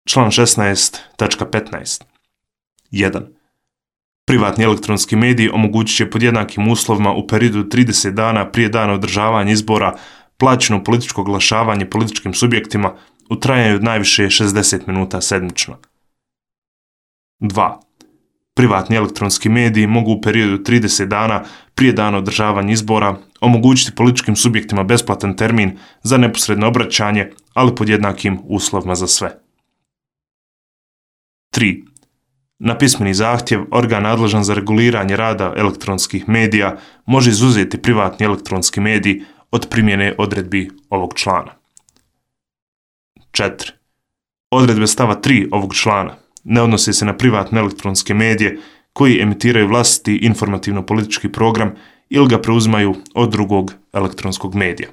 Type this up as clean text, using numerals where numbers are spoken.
Član 16.15. 1. Privatni elektronski mediji omogućit će pod jednakim uslovima u periodu 30 dana prije dana održavanja izbora plaćeno političko oglašavanje političkim subjektima u trajanju od najviše 60 minuta sedmično. 2. Privatni elektronski mediji mogu u periodu 30 dana prije dana održavanja izbora omogućiti političkim subjektima besplatan termin za neposredno obraćanje, ali pod jednakim uslovima za sve. 3. Na pismeni zahtjev organ nadležan za reguliranje rada elektronskih medija može izuzeti privatni elektronski medij od primjene odredbi ovog člana. 4. Odredbe stava 3 ovog člana ne odnose se na privatne elektronske medije koji emitiraju vlastiti informativno-politički program ili ga preuzimaju od drugog elektronskog medija.